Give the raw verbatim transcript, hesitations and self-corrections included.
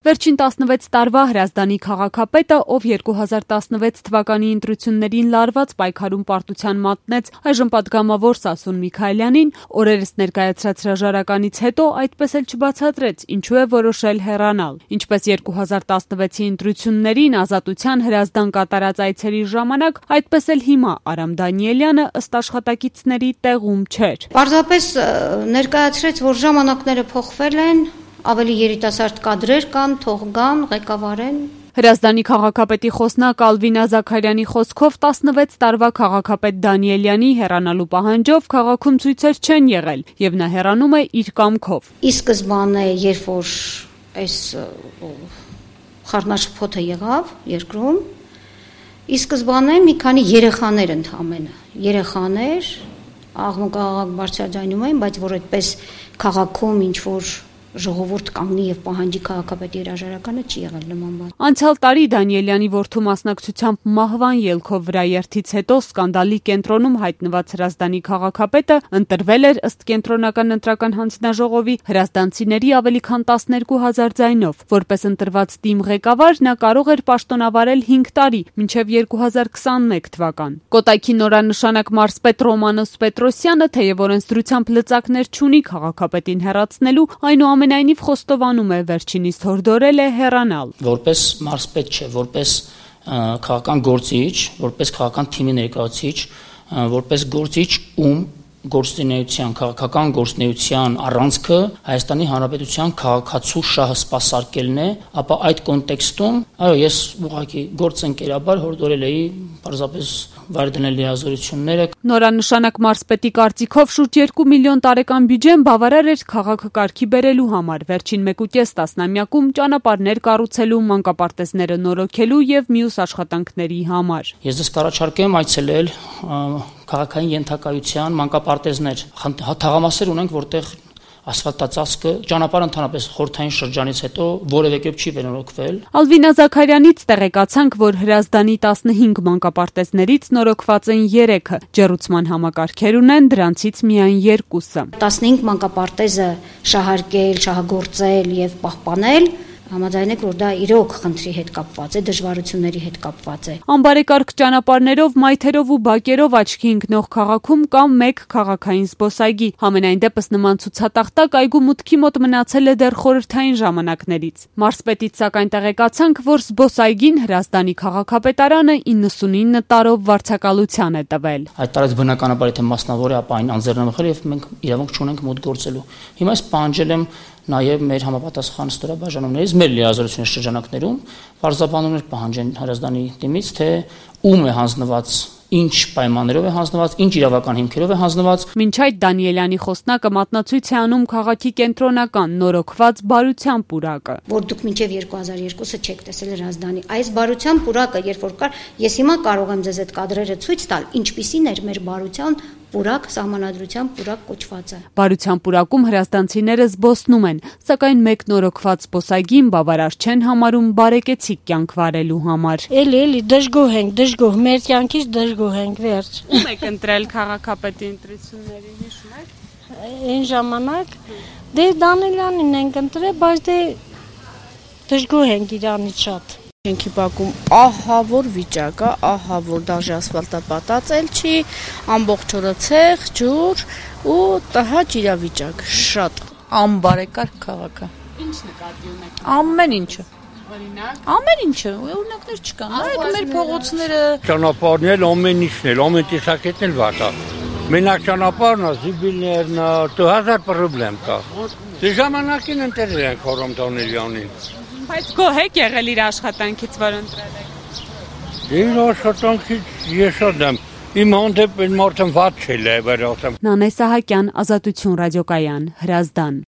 Վերջին տասնվեց տարվա Հրազդանի քաղաքապետը, ով երկու հազար տասնվեց թվականի ընտրություններին լարված պայքարում պարտության մատնեց այժմ պատգամավոր Սասուն Միքայելյանին, օրերս ներկայացրած հրաժարականից հետո այդպես էլ չբացատրեց, ինչու է որոշել հեռանալ։ Ինչպես երկու հազար տասնվեցի ընտրություններին Ազատության Հրազդան կատարած այցերի ժամանակ, այդպես էլ հիմա Արամ Դանիելյանը ըստ աշխատակիցների տեղում չէր։ Պարզապես ներկայացրեց, որ ժամանակները փոխվել են, ավելի երիտասարդ կադրեր կան, թող գան, ղեկավարեն։ Հրազդանի քաղաքապետի խոսնակ Ալվինա Զաքարյանի խոսքով տասնվեց տարվա քաղաքապետ Դանիելյանի հեռանալու պահանջով քաղաքում ցույցեր չեն եղել, եւ նա հեռանում է իր կամքով։ Ի սկզբանե, երբ որ այս խառնաշփոթը եղավ երկրում, ի սկզբանե մի քանի երեխաներ ընդամենը, երեխաներ աղմուկ աղաղակ բարձրաձայնում էին, բայց որ այդպես քաղաքում ինչ որ ժողովուրդ կանգնի եւ պահանջի քաղաքապետի հրաժարականը չի եղել նման բան։ Անցյալ տարի Դանիելյանի որդու մասնակցությամբ մահվան ելքով վրաերթից հետո սկանդալի կենտրոնում հայտնված Հրազդանի քաղաքապետը ընտրվել էր ըստ կենտրոնական ընտրական հանձնաժողովի հրազդանցիների ավելի քան տասներկու հազար ձայնով։ Որպես ընտրված թիմ ղեկավար նա կարող էր պաշտոնավարել հինգ տարի, մինչև երկու հազար քսաներկու թվական։ Կոտայքի նորանշանակ մարզպետ Ռոմանոս Պետրոսյանը, թեև օրենսդրությամբ լծակներ չունի քաղաքապետին հեռացնելու, այնուամենայնիվ Այնուամենայնիվ խոստովանում է վերջինիս հորդորել է հեռանալ։ Որպես մարզպետ չէ, որպես քաղաքական գործիչ, որպես քաղաքական թիմի ներկայացուցիչ, որպես գործիչ, ում գործունեության, քաղաքական գործունեության առանցքը Հայաստանի Հանրապետության քաղաքացու շահը սպասարկելն է, ապա այդ կոնտեքստում, այո, ես ուղղակի գործընկերաբար հորդորել էի պարզապես վայր դնել լիազորությունները։ Նորանշանակ մարզպետի կարծիքով շուրջ երկու միլիոն տարեկան բյուջեն բավարար էր քաղաքը կարգի բերելու համար, վերջին մեկուկես տասնամյակում ճանապարհներ կառուցելու, մանկապարտեզները նորոգելու եւ մյուս աշխատանքների համար։ Ես ձեզ կառաջարկեմ այցելել քաղաքային ենթակայության մանկապարտեզներ, թաղամասեր ունենք, որտեղ ասֆալտածածկը ճանապարհը ընդհանրապես խորհրդային շրջանից հետո որևէ կերպ չի վերանորոգվել։ Ալվինա Զաքարյանից տեղեկացանք, որ Հրազդանի տասնհինգ մանկապարտեզներից նորոգված են երեքը, ջեռուցման համակարգեր ունեն դրանցից միայն երկուսը։ տասնհինգ մանկապարտեզը շահարկել, շահագործել եւ պահպանել համաձայնեք, որ դա իրոք խնդրի հետ կապված է, դժվարությունների հետ կապված է։ Անբարեկարգ ճանապարհներով, մայթերով ու բակերով աչքի ընկնող քաղաքում կա մեկ քաղաքային զբոսայգի։ Համենայն դեպս նման ցուցատախտակ այգու մուտքի մոտ մնացել է դեռ խորհրդային ժամանակներից։ Մարզպետից սակայն տեղեկացանք, որ զբոսայգին Հրազդանի քաղաքապետարանը իննսունինը տարով վարձակալության է տվել։ Այդ տարեց բնականաբար եթե մասնավոր է, ապա այն անձեռնամխել եւ մենք իրավունք չունենք մոտ գործելու։ Հիմա ես պահանջել եմ նաև մեր համապատասխան ստորաբաժանումներից մեր լիազորությունների շրջանակներում պարզաբանումներ պահանջեն Հրազդանի թիմից, թե ում է հանձնված, ինչ պայմաններով է հանձնված, ինչ իրավական հիմքերով է հանձնված։ Մինչ այդ Դանիելյանի խոսնակը մատնացույց է անում քաղաքի կենտրոնական նորոգված բարության պուրակը, որ դուք մինչև երկու հազար երկուսը չեք տեսել Հրազդանի։ Այս բարության պուրակը, երբ որ կար, ես հիմա կարող եմ ձեզ այդ կադրերը ցույց տալ, ինչպիսին էր մեր բարության պուրակ, սահմանադրության պուրակ կոչվածը։ Բարության պուրակում հրազդանցիները զբոսնում են, սակայն մեկ նորոգված զբոսայգին բավարար չեն համարում բարեկեցիկ կյանք վարելու համար։ Էլի, էլի, դժգոհ ենք, դժգոհ, մեր կյանքից դժգոհ ենք, վերջ։ Ում եք ընտրել քաղաքապետի ընտրությունների, հիշում եք։ Այն ժամանակ դե Դանիելյանին ենք ընտրել, բայց դե դժգոհ ենք իրանից շատ։ Շենքի բակում ահա որ վիճակը, ահա որ դաժե ասֆալտապատած չի, ամբողջ օրը ցեղ, ջուր ու տհաճ իրավիճակ, շատ անբարեկարգ քաղաքը։ Ինչ նկատի ունեք։ Ամեն ինչը։ Օրինակ, ամեն ինչը, օրինակներ չկան։ Այդ մեր փողոցները, ճանապարհն էլ ամեն ինչն էլ, ամեն տեսակետն էլ վատ է։ Մենակ ճանապարհն է, զիբիլներն, հազար պրոբլեմ կա։ Դե ժամանակին ընտրել ենք Արամ Դանիելյանին։ Բայց գոհ եք եղել իր աշխատանքից, որ ընտրել եք։ Իր աշխատանքից ես շատ եմ։ Իմ հանդեպ այն մարդը վատ չէ, լավ էր ասեմ։ Նանե Սահակյան, Ազատություն ռադիոկայան, Հրազդան։